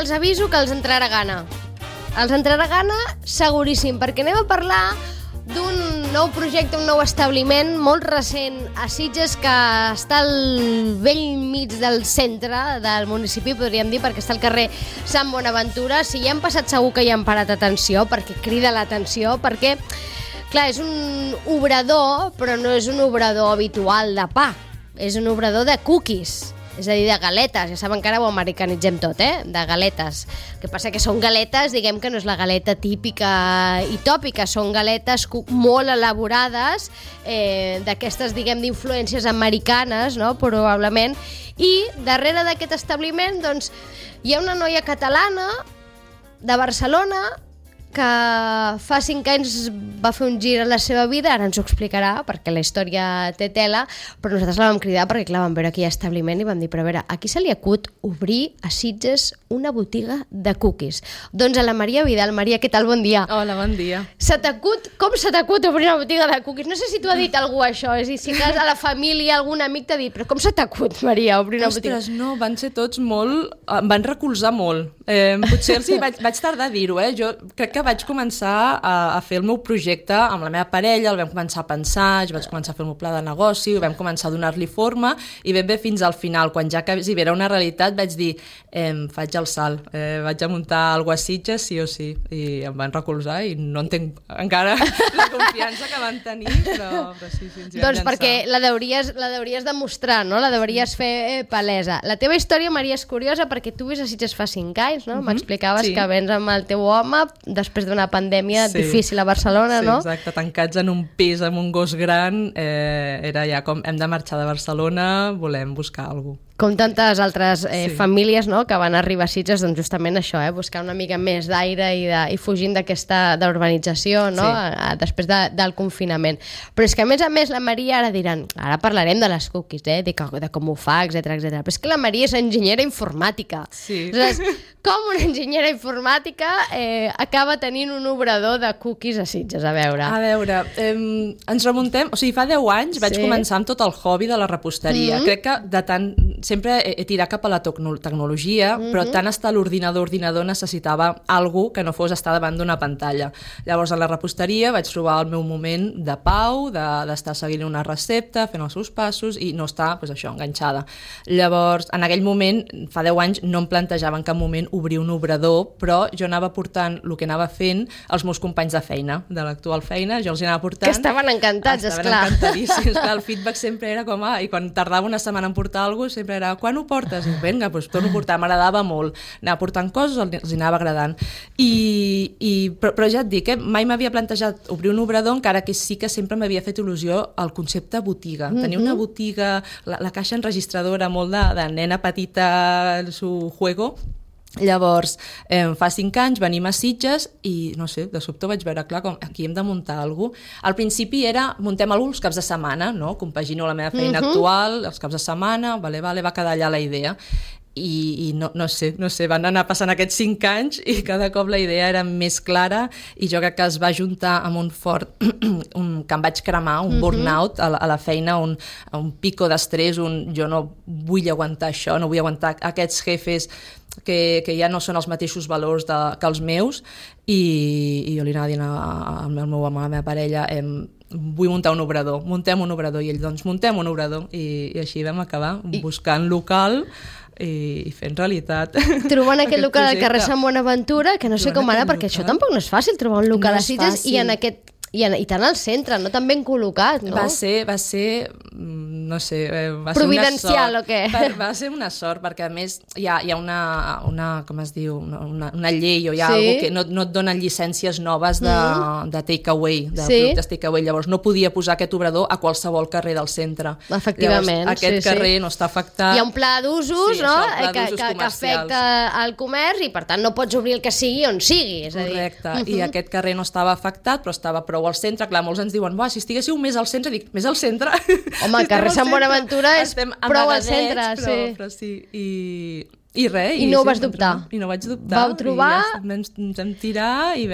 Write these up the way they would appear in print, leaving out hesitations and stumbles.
els aviso que els entrarà gana. Els entrarà gana seguríssim, perquè anem a parlar d'un nou projecte, un nou establiment molt recent a Sitges que està al vell mig del centre del municipi, podríem dir, perquè està al carrer Sant Bonaventura. Si hi han passat segur que hi han parat atenció, perquè crida l'atenció, perquè, clar, és un obrador, però no és un obrador habitual de pa, és un obrador de cookies. És a dir, de galetes, ja saben que ara ho americanitzem tot, de galetes. El que passa que són galetes, diguem que no és la galeta típica i tòpica, són galetes molt elaborades, d'aquestes, diguem, d'influències americanes, no?, probablement, i darrere d'aquest establiment, doncs, hi ha una noia catalana de Barcelona que fa 5 anys va fer un gir a la seva vida, ara ens ho explicarà perquè la història té tela, però nosaltres la vam cridar perquè, clar, vam veure aquell establiment i vam dir, però a veure, aquí se li acut obrir a Sitges una botiga de cookies. Doncs a la Maria Vidal. Maria, què tal? Bon dia. Hola, bon dia. Com se t'acut obrir una botiga de cookies? No sé si t'ho ha dit algú això, és a dir, si a la família algun amic t'ha dit, però com se t'acut, Maria, obrir una botiga? Ostres, no, van ser tots molt... Em van recolzar molt. Potser els vaig tardar a dir-ho, Jo crec que vaig començar a fer el meu projecte amb la meva parella, el vam començar a pensar, jo vaig començar a fer el meu pla de negoci, vam començar a donar-li forma i ben bé fins al final, quan ja quasi era una realitat, vaig dir, faig el salt, vaig a muntar alguna cosa a Sitges, sí o sí, i em van recolzar i no entenc encara la confiança que van tenir, però sí, ens hi vam doncs llançar. Perquè la deuries demostrar, no? La deuries fer palesa. La teva història, Maria, és curiosa perquè tu vis a Sitges fa 5 anys, no? M'explicaves que vens amb el teu home després d'una pandèmia difícil a Barcelona, no? Sí, exacte, tancats en un pis amb un gos gran, era ja com hem de marxar de Barcelona, volem buscar alguna cosa. Com tantes altres famílies, no?, que van arribar a Sitges, doncs justament això, buscar una mica més d'aire i fugint d'aquesta urbanització, no?, després del confinament. Però és que, a més, la Maria, ara parlarem de les cookies, de com ho fa, etc. Però és que la Maria és enginyera informàtica. Sí. Aleshores, com una enginyera informàtica acaba tenint un obrador de cookies a Sitges? A veure, ens remuntem... O sigui, fa 10 anys vaig començar amb tot el hobby de la reposteria. Crec que de tant... Sempre he tirat cap a la tecnologia, però tant estar a l'ordinador necessitava alguna que no fos estar davant d'una pantalla. Llavors, a la reposteria vaig trobar el meu moment de pau, d'estar seguint una recepta, fent els seus passos i no estar, enganxada. Llavors, en aquell moment, fa 10 anys, no em plantejava en cap moment obrir un obrador, però jo anava portant el que anava fent als meus companys de feina, de l'actual feina, jo els anava portant... Que estaven encantats, esclar. Estaven encantadíssims, el feedback sempre era com, i quan tardava una setmana en portar alguna cosa, sempre era, quan ho portes? I vinga, doncs torno a portar, m'agradava molt. Anava portant coses, els anava agradant. Però ja et dic, mai m'havia plantejat obrir un obrador, encara que sí que sempre m'havia fet il·lusió el concepte botiga. Tenir una botiga, la caixa enregistradora, molt de nena petita, el seu juego. Llavors, fa 5 anys venim a Sitges i, no sé, de sobte vaig veure, clar, com aquí hem de muntar alguna cosa. Al principi era, muntem alguna cosa els caps de setmana, no? Compagino la meva feina actual, els caps de setmana, va quedar allà la idea. I no sé, van anar passant aquests 5 anys i cada cop la idea era més clara i jo crec que es va juntar amb un fort que em vaig cremar, un burnout a la feina, un pico d'estrès, jo no vull aguantar això, no vull aguantar aquests jefes que ja no són els mateixos valors que els meus i jo li anava dient al meu home, a la meva parella, vull muntar un obrador, muntem un obrador, i ell, doncs muntem un obrador, i així vam acabar buscant local i fent realitat. Trobant aquest local al carrer Sant Bonaventura, que no sé com ara, perquè això tampoc no és fàcil, trobar un local a Sitges i tant al centre, no tan ben col·locat, no? Va ser no sé, va providencial ser una sort. O què? Va ser una sort, perquè a més hi ha una com es diu, una llei o hi ha alguna que no et donen llicències noves de take-away, de productes take-away. Llavors no podia posar aquest obrador a qualsevol carrer del centre. Efectivament. Llavors, aquest carrer no està afectat. Hi ha un pla d'usos, no? Que afecta el comerç i per tant no pots obrir el que sigui on sigui. Correcte. I aquest carrer no estava afectat, però estava prou al centre. Clar, molts ens diuen, si estiguéssiu més al centre, dic, més al centre? Home, el carrer Sant Bonaventura és prou al centre. Però sí. I res. I no ho vas dubtar. I no vaig dubtar. Vau trobar... Ens vam tirar i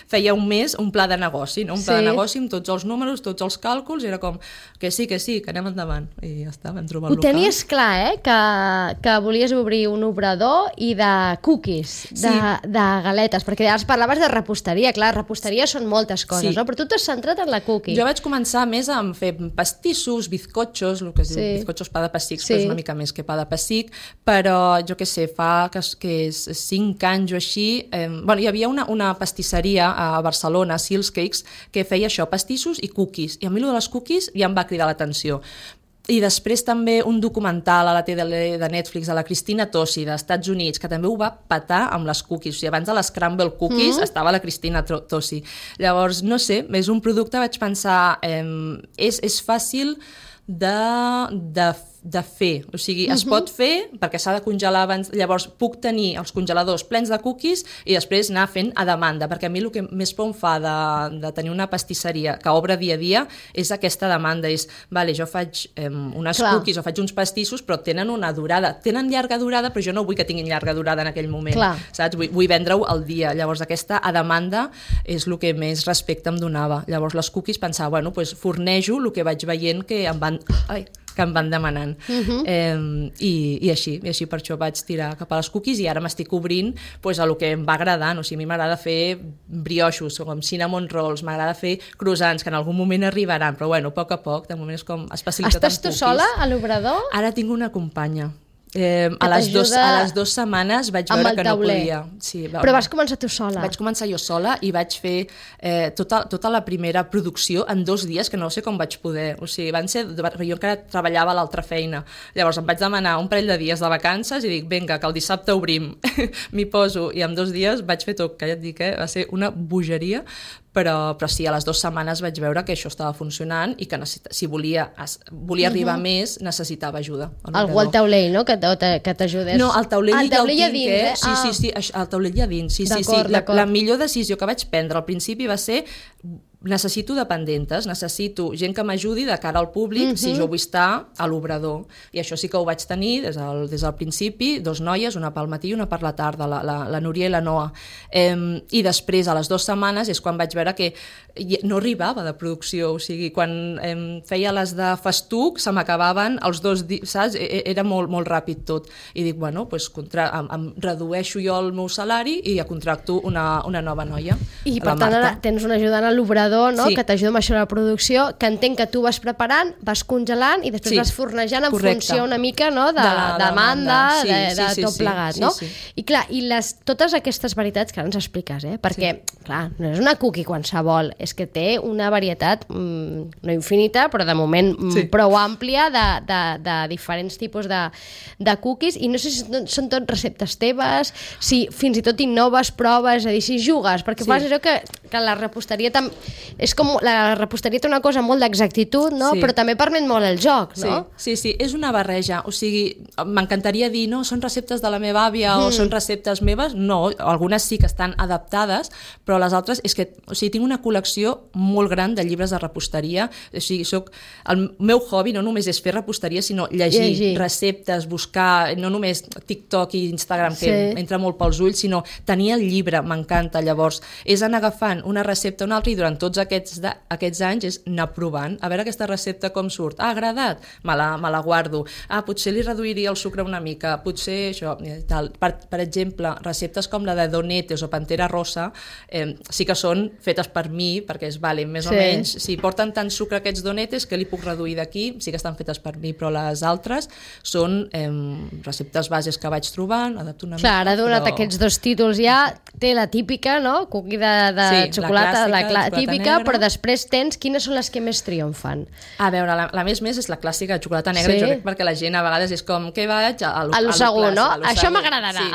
feia un mes un pla de negoci, no? Un pla de negoci amb tots els números, tots els càlculs, i era com que sí, que anem endavant. I ja està, vam trobar el local. Ho tenies clar, que volies obrir un obrador i de cookies, de galetes, perquè ara parlaves de reposteria, clar, reposteria són moltes coses, no? Però tu t'has centrat en la cookie. Jo vaig començar més a fer pastissos, bizcochos, el que es diu bizcochos pa de pessic, però és una mica més que pa de pessic, però jo què sé, fa que és 5 anys o així, hi havia una pastisseria a Barcelona, Sils Cakes, que feia això, pastissos i cookies, i a mi allò de les cookies ja em va cridar l'atenció. I després també un documental a la tele de Netflix de la Cristina Tossi, dels Estats Units, que també ho va petar amb les cookies. O sigui, abans de les Scramble Cookies estava la Cristina Tossi. Llavors, no sé, és un producte, vaig pensar, és fàcil de fer, o sigui, es pot fer perquè s'ha de congelar abans, llavors puc tenir els congeladors plens de cookies i després anar fent a demanda, perquè a mi el que més por em fa de tenir una pastisseria que obre dia a dia és aquesta demanda, és, vale, jo faig unes cookies o faig uns pastissos però tenen una durada, tenen llarga durada però jo no vull que tinguin llarga durada en aquell moment, saps? Vull vendre-ho al dia, llavors aquesta a demanda és el que més respecte em donava, llavors les cookies pensava, bueno, doncs fornejo el que vaig veient que em van demanant. I així per això vaig tirar cap a les cookies i ara m'estic obrint a el que em va agradant. O sigui, a mi m'agrada fer brioixos, com cinnamon rolls, m'agrada fer croissants, que en algun moment arribaran, però bueno, a poc, de moment és com especialitat en cookies. Estàs tu sola a l'obrador? Ara tinc una companya. A les 2 setmanes vaig veure que no podia. Sí, però vas començar tu sola? Vaig començar jo sola i vaig fer tota la primera producció en 2 dies, que no sé com vaig poder. O sigui, jo encara treballava a l'altra feina. Llavors em vaig demanar un parell de dies de vacances i dic, vinga, que el dissabte obrim. M'hi poso i en 2 dies vaig fer tot, que ja et dic, va ser una bogeria, però sí, a les 2 setmanes vaig veure que això estava funcionant i que si volia arribar més, necessitava ajuda. Algú al taulell, no?, que t'ajudés. No, al taulell ja el tinc, dins, Sí, al taulell ja dins. Sí. La millor decisió que vaig prendre al principi va ser necessito dependentes, necessito gent que m'ajudi de cara al públic si jo vull estar a l'obrador. I això sí que ho vaig tenir des del principi, 2 noies, una pel matí i una per la tarda, la Núria i la Noa. I després, a les 2 setmanes, és quan vaig veure que no arribava de producció, o sigui, quan feia les de festuc se m'acabaven els 2 dies, saps? Era molt ràpid tot. I dic, bueno, doncs em redueixo jo el meu salari i ja contracto una nova noia. I per tant ara tens una ajudant a l'obrador, no? Que t'ajuda amb això de la producció, que entenc que tu vas preparant, vas congelant i després vas fornejant en funció una mica, no?, de demanda, de tot plegat, no? I clar, totes aquestes varietats que ara ens expliques, perquè, clar, no és una cookie qualsevol, és que té una varietat no infinita, però de moment prou àmplia de diferents tipus de cookies, i no sé si són tot receptes teves, si fins i tot innoves, proves, és a dir, si jugues, perquè fas allò que la reposteria és com, la reposteria té una cosa molt d'exactitud, no? Però també permet molt el joc, no? Sí, és una barreja, o sigui, m'encantaria dir, no, són receptes de la meva àvia o són receptes meves, no, algunes sí que estan adaptades, però les altres és que, o sigui, tinc una col·lecció molt gran de llibres de reposteria, o sigui, el meu hobby no només és fer reposteria, sinó llegir receptes, buscar, no només TikTok i Instagram, que entra molt pels ulls, sinó tenir el llibre, m'encanta, llavors, és anar agafant una recepta o una altra i durant tots aquests anys és anar provant, a veure aquesta recepta com surt. Ha agradat? Me la guardo. Potser li reduiria el sucre una mica, potser això, tal. Per exemple, receptes com la de donetes o pantera rosa sí que són fetes per mi, perquè es valen més o menys. Si porten tant sucre aquests donetes, que li puc reduir d'aquí? Sí que estan fetes per mi, però les altres són receptes bases que vaig trobant, adapto una mica. Clar, ara donat aquests 2 títols ja, té la típica, no?, cookie de xocolata, la típica, però després tens quines són les que més triomfan. A veure, la més és la clàssica de xocolata negra, jo crec, perquè la gent a vegades és com, què vaig? A lo segur, no? Això m'agradarà.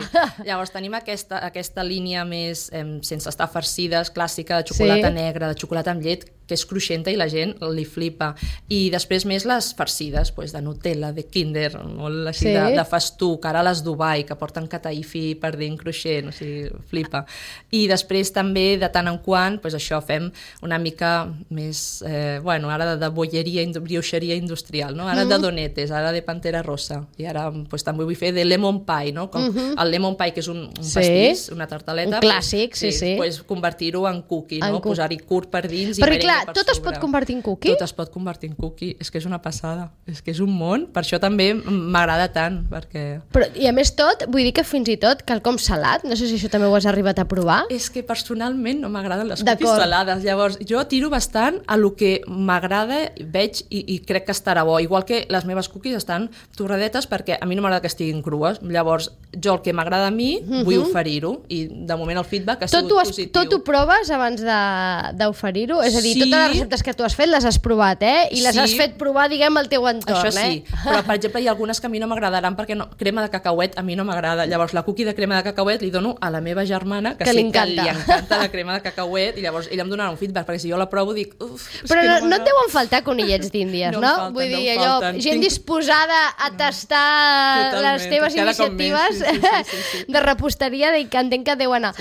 Llavors tenim aquesta línia més sense estar farcides, clàssica, de xocolata negra, de xocolata amb llet, que és cruixenta i la gent li flipa. I després més les farcides, pues, de Nutella, de Kinder, molt així de festuc, ara les Dubai, que porten cataifi per dins cruixent, o sigui, flipa. I després també, de tant en quant, pues, això, fem una mica més, ara de bolleria, brioixeria industrial, no? Ara de donetes, ara de Pantera Rosa, i ara pues, també vull fer de lemon pie, no? Com el lemon pie, que és un pastís, una tartaleta, un clàssic, pues, convertir-ho en cookie, no? Posar-hi curt per dins i perquè, merengue clar, per tot sobre. Es pot convertir en cookie? Tot es pot convertir en cookie, és que és una passada, és que és un món, per això també m'agrada tant, perquè... Però, i a més tot, vull dir que fins i tot quelcom salat, no sé si això també ho has arribat a provar. És que personalment no m'agraden les cookies salades, llavors jo tiro bastant a lo que m'agrada, veig i crec que estarà bo, igual que les meves cookies estan torradetes perquè a mi no m'agrada que estiguin crues, llavors jo el que m'agrada a mi vull oferir-ho i de moment el feedback ha sigut positiu. Tot ho proves abans d'oferir-ho? És a dir, totes les receptes que tu has fet les has provat, i les has fet provar, diguem, al teu entorn, Això sí, però per exemple hi ha algunes que a mi no m'agradaran perquè crema de cacauet a mi no m'agrada, llavors la cookie de crema de cacauet li dono a la meva germana que sé que li encanta la crema de cacauet i llavors ella em donarà un feedback, perquè si jo la provo dic però no et deuen faltar conillets d'Índies, no? Vull dir, allò, gent disposada a tastar les teves iniciatives de reposteria, que entenc que deu anar.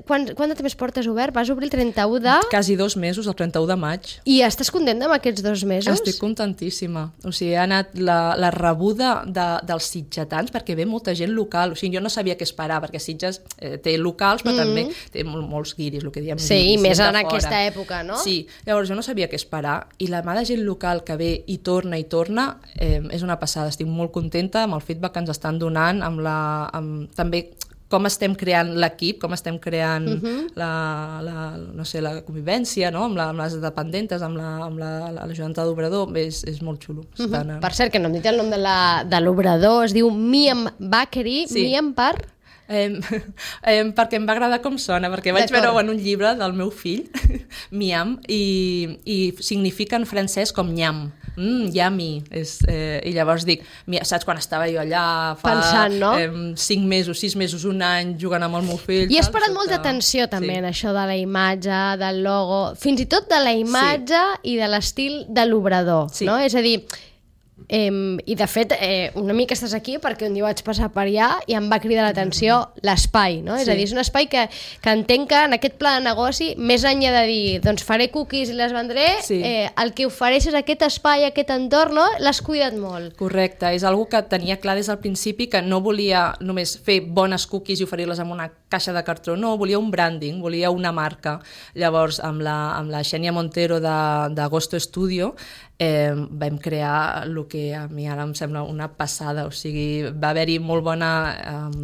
Quant de temps portes obert? Vas obrir el 31 de... Quasi 2 mesos, el 31 de maig. I estàs contenta amb aquests 2 mesos? Estic contentíssima. O sigui, ha anat la rebuda dels sitgetans, perquè ve molta gent local. O sigui, jo no sabia què esperar, perquè Sitges té locals, però també té molts guiris, el que diem. Sí, i més en aquesta època, no? Sí, llavors jo no sabia què esperar, i la mà de gent local que ve i torna, és una passada. Estic molt contenta amb el feedback que ens estan donant, també com estem creant l'equip, com estem creant la convivència, no? amb les dependentes, amb l'ajudanta d'obrador, és molt xulo. Per cert, que no hem dit el nom de l'obrador, es diu Miam Bakery, Miam per... perquè em va agradar com sona, perquè vaig veure en un llibre del meu fill, Miam, i significa en francès com nyam, yummy, i llavors dic, saps quan estava jo allà fa 5 mesos, 6 mesos, un any jugant amb el meu fill, i has parat molta atenció també en això de la imatge, del logo, fins i tot de la imatge i de l'estil de l'obrador, no? És a dir, i de fet una mica estàs aquí perquè un dia vaig passar per allà i em va cridar l'atenció l'espai, no? És a dir, és un espai que entenc que en aquest pla de negoci, més enllà de dir doncs faré cookies i les vendré, el que ofereixes aquest espai, aquest entorn, no? L'has cuidat molt. Correcte, és algo que tenia clar des del principi, que no volia només fer bones cookies i oferir-les en una caixa de cartró, no, volia un branding, volia una marca. Llavors amb la Xènia Montero d'Agosto Studio vam crear el que a mi ara em sembla una passada, o sigui, va haver-hi molt bona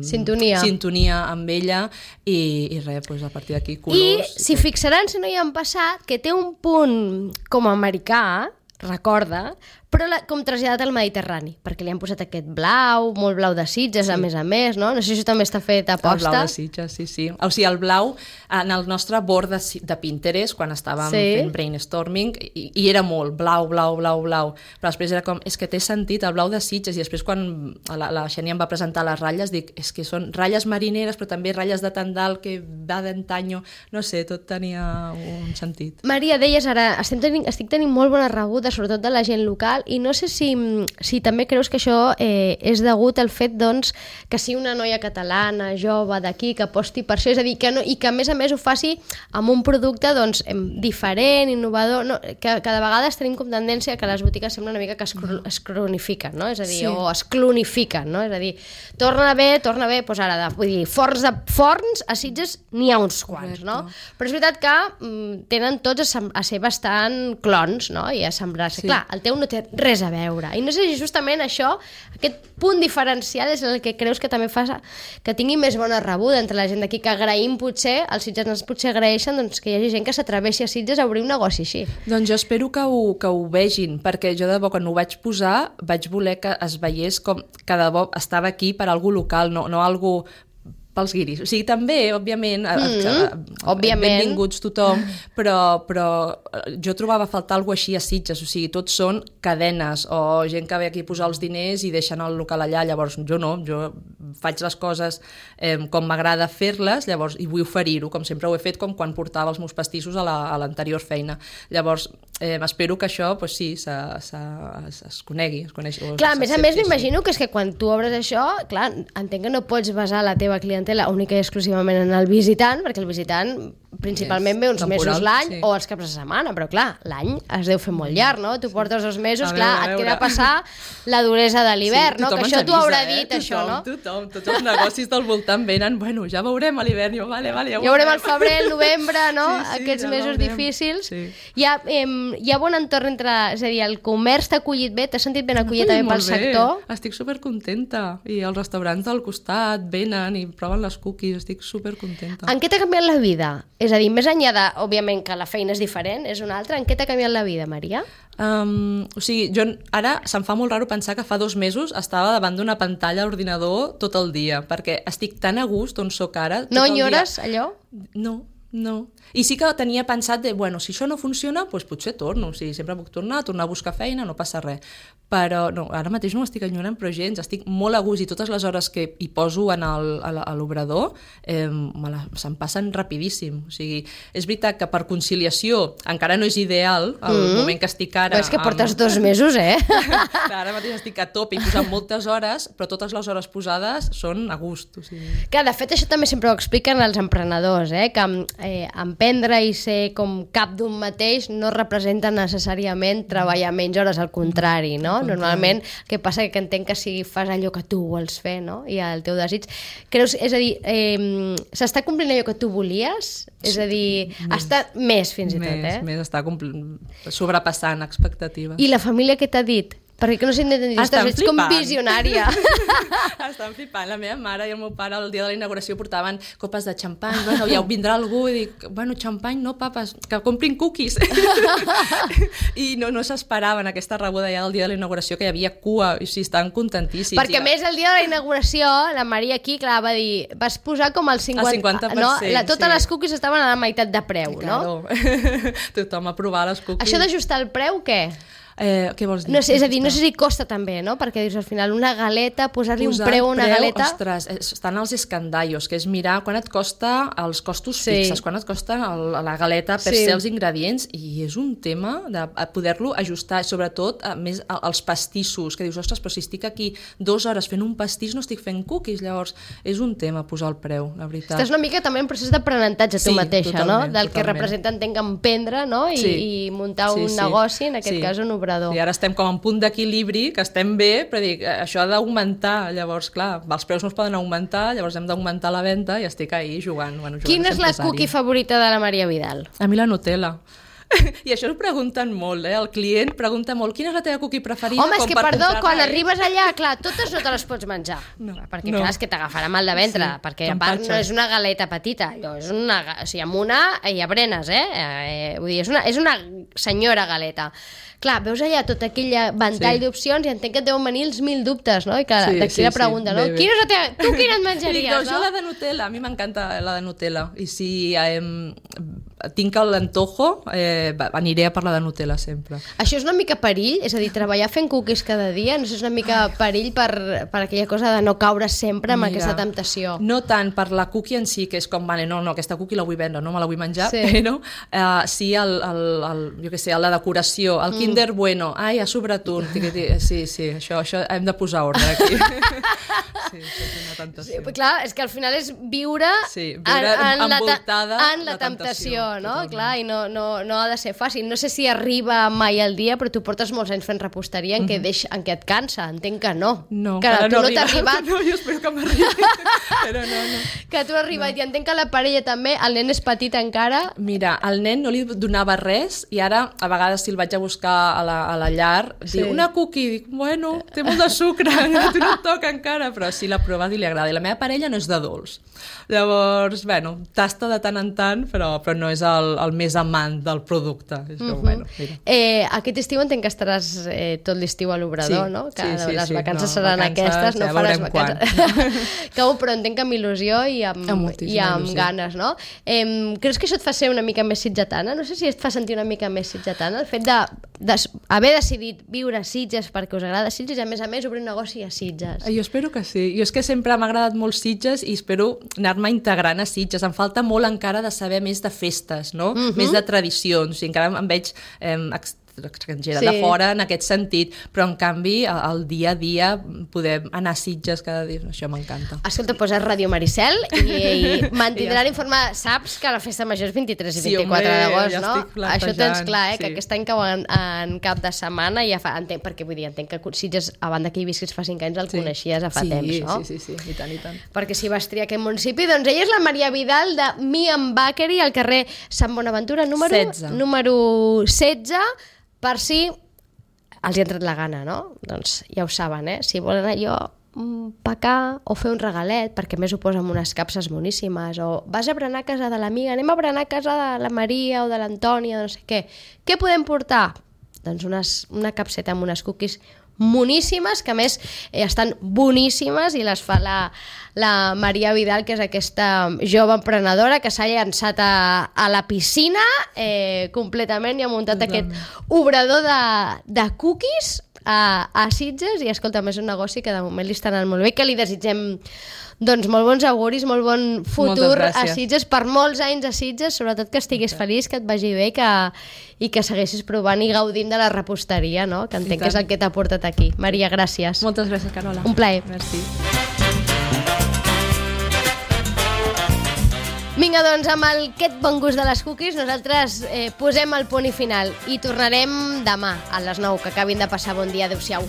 sintonia amb ella i res, doncs a partir d'aquí colors... I si fixaran, si no hi han passat, que té un punt com americà, recorda, però com traslladat al Mediterrani, perquè li han posat aquest blau, molt blau de Sitges, a més, no? No sé si això també està fet a posta. El blau de Sitges, sí. O sigui, el blau, en el nostre bord de Pinterest, quan estàvem fent brainstorming, i era molt blau, però després era com, és que té sentit el blau de Sitges, i després quan la Xènia em va presentar les ratlles, dic, és que són ratlles marineres, però també ratlles de tendal que va d'antanyo, no sé, tot tenia un sentit. Maria, deies ara, estic tenint molt bona rebuda, sobretot de la gent local, i no sé si també creus que això és degut al fet doncs, que sigui una noia catalana, jove, d'aquí, que aposti per això, és a dir, i que a més ho faci amb un producte doncs, diferent, innovador, no? Que de vegades tenim com tendència que les botigues sembla una mica que es cronifiquen, no? És a dir, o es clonifiquen, no? És a dir, torna bé, doncs ara, vull dir, forns a Sitges n'hi ha uns quants, no? Però és veritat que tenen tots a ser bastant clons, no? I a semblar-se. Clar, el teu no té res a veure. I no sé si justament això, aquest punt diferencial és el que creus que també fa que tingui més bona rebuda entre la gent d'aquí, que agraïm potser, els sitgetans potser agraeixen doncs, que hi hagi gent que s'atreveixi a Sitges a obrir un negoci així. Doncs jo espero que ho vegin, perquè jo de debò quan ho vaig posar vaig voler que es veiés com que de debò estava aquí per algú local, no algú pels guiris. O sigui, també, òbviament, benvinguts tothom, però jo trobava a faltar alguna així a Sitges, o sigui, tots són cadenes o gent que ve aquí a posar els diners i deixen el local allà, llavors jo no, jo faig les coses com m'agrada fer-les, llavors, i vull oferir-ho, com sempre ho he fet, com quan portava els meus pastissos a l'anterior feina. Llavors, espero que això, pues, sí, es conegui. Clar, a més, m'imagino que és que quan tu obres això, clar, entenc que no pots basar la teva clientela única i exclusivament en el visitant, perquè el visitant principalment ve uns mesos l'any o els caps de setmana, però clar, l'any es deu fer molt llarg, no? Tu portes 2 mesos, clar, et queda passar la duresa de l'hivern, no? Que això t'ho haurà dit, això, no? Tothom, tots els negocis del voltant venen, bueno, ja veurem a l'hivern, vale, ja veurem el febrer, el novembre, no? Aquests mesos difícils. Hi ha bon entorn entre, és a dir, el comerç t'ha acollit bé, t'has sentit ben acollit també pel sector? Estic supercontenta, i els restaurants del costat venen i proven les cookies, estic supercontenta. En què t'ha canviat la vida? És a dir, més enllà de, òbviament, que la feina és diferent, és una altra, en què t'ha canviat la vida, Maria? O sigui, jo ara se'm fa molt raro pensar que fa 2 mesos estava davant d'una pantalla a l'ordinador tot el dia, perquè estic tan a gust on soc ara. No enyores allò? No. I sí que tenia pensat de, bueno, si això no funciona, doncs potser torno. O sigui, sempre puc tornar a buscar feina, no passa res. Però no, ara mateix no m'estic enyorant, però gens, estic molt a gust i totes les hores que hi poso a l'obrador se'm passen rapidíssim. O sigui, és veritat que per conciliació encara no és ideal el moment que estic ara... Però és que portes 2 mesos, Ara mateix estic a tope i posant moltes hores, però totes les hores posades són a gust. O sigui... Clar, de fet, això també sempre ho expliquen els emprenedors, que emprendre i ser com cap d'un mateix no representa necessàriament treballar menys hores, al contrari, no? Normalment el que passa és que entenc que si fas allò que tu vols fer, no? I el teu desig, creus, és a dir, s'està complint allò que tu volies? És a dir, està més fins i tot, Més, està sobrepassant expectatives. I la família què t'ha dit? Perquè que no s'hi entén dir, ostres, ets com visionària. Estan flipant. La meva mare i el meu pare el dia de la inauguració portaven copes de xampany. Bueno, ja vindrà algú i dic, bueno, xampany no, papes, que comprin cookies. I no s'esperaven aquesta rebuda ja del dia de la inauguració, que hi havia cua, i sí, estan contentíssims. Perquè a més el dia de la inauguració, la Maria aquí, clar, va dir, vas posar com el 50%. No? Totes les cookies estaven a la meitat de preu, no? Tothom a provar les cookies. Això d'ajustar el preu, què? Què vols dir? No sé, és a dir, no sé si costa també, no? Perquè dius, al final, una galeta, posar-li un preu a una galeta... Ostres, estan els escandallos, que és mirar quan et costa els costos fixes, quan et costa la galeta per ser els ingredients, i és un tema de poder-lo ajustar, sobretot més els pastissos, que dius, ostres, però si estic aquí 2 hores fent un pastís no estic fent cookies, llavors és un tema posar el preu, la veritat. Estàs una mica també en procés d'aprenentatge tu mateixa, no? Del que representa, entenc, emprendre, no? I muntar un negoci, en aquest cas un obrador. I ara estem com en punt d'equilibri, que estem bé, però dic, això ha d'augmentar, llavors, clar, els preus no es poden augmentar, llavors hem d'augmentar la venda i estic ahí jugant. Quina és la cookie favorita de la Maria Vidal? A mi la Nutella. I això ho pregunten molt, el client pregunta molt, quina és la teva cookie preferida? Home, és que perdó, quan arribes allà, clar, totes no te les pots menjar, perquè clar, és que t'agafarà mal de ventre, perquè a part no és una galeta petita, allò és una, o sigui, amb una ja brenes, vull dir, és una senyora galeta. Clar, veus allà tot aquell ventall d'opcions i entenc que et deuen venir els 1000 dubtes, no? I que d'aquí la pregunta, no? Quina és la teva... Tu quina et menjaries, no? Jo la de Nutella, a mi m'encanta la de Nutella, i si tinc l'antojo, aniré a per la de Nutella sempre. Això és una mica perill? És a dir, treballar fent cookies cada dia, no sé, és una mica perill per aquella cosa de no caure sempre amb aquesta temptació? No tant per la cookie en si, que és com, vale, no, aquesta cookie la vull vendre, no me la vull menjar, però sí jo què sé, la decoració, el Kinder Bueno, ai, a sobretot, sí, això hem de posar ordre aquí. Sí, això és una tentació. Sí, clar, és que al final és viure envoltada en la temptació, no? Clar, i no ha de ser fàcil. No sé si arriba mai el dia, però tu portes molts anys fent reposteria en què et cansa, entenc que no. No, que no t'ha arribat. No, jo espero que m'arribi, però no. Que tu has arribat, i entenc que la parella també, el nen és petit encara. Mira, al nen no li donava res, i ara a vegades si el vaig a buscar a la llar, diu, una cookie, dic, bueno, té molt de sucre, a tu no et toca encara, però sí l'ha provat i li agrada. I la meva parella no és de dolç. Llavors, bueno, tasta de tant en tant, però no és el més amant del producte. És que, bueno, mira. Aquest estiu entenc que estaràs tot l'estiu a l'Obrador, no? Que les vacances no, seran aquestes, no faràs vacances. Però entenc que amb il·lusió i amb ganes, no? Creus que això et fa ser una mica més sitgetana? No sé si et fa sentir una mica més sitgetana, el fet d'haver decidit viure a Sitges perquè us agrada Sitges i a més obrir un negoci a Sitges. Jo espero que sí. Jo és que sempre m'ha agradat molt Sitges i espero anar-me integrant a Sitges. Em falta molt encara de saber més de festes, no? Més de tradicions. I encara em veig estrangera de fora en aquest sentit, però en canvi el dia a dia poder anar a Sitges cada dia, això m'encanta. Escolta, poses Ràdio Maricel i mantindran informada. Saps que la festa major és 23 i 24 d'agost, no? Això tens clar, que aquest any cau en cap de setmana i ja fa, entenc, perquè vull dir, entenc que Sitges, a banda que hi visquis fa 5 anys, el coneixies a fa temps, no? Sí, i tant, i tant. Perquè si vas triar aquest municipi, doncs ella és la Maria Vidal de Me and Bakery al carrer Sant Bonaventura, número 16, per si els hi ha entrat la gana, no? Doncs ja ho saben, si volen allò pecar o fer un regalet, perquè més ho posa amb unes capses moníssimes, o vas a berenar a casa de l'amiga, anem a berenar a casa de la Maria o de l'Antònia, no sé què. Què podem portar? Doncs una capseta amb unes cookies moníssimes, que a més estan boníssimes i les fa la Maria Vidal, que és aquesta jove emprenedora que s'ha llançat a la piscina completament i ha muntat aquest obrador de cookies a Sitges i escolta, és un negoci que de moment li està anant molt bé, que li desitgem doncs molt bons auguris, molt bon futur a Sitges, per molts anys a Sitges, sobretot que estiguis feliç, que et vagi bé i que segueixis provant i gaudint de la reposteria, no? Que entenc que és el que t'ha portat aquí. Maria, gràcies. Moltes gràcies, Carola. Un plaer. Merci. Vinga, doncs, amb aquest bon gust de les cookies, nosaltres posem el punt i final i tornarem demà a les 9, que acabin de passar bon dia. Adéu-siau.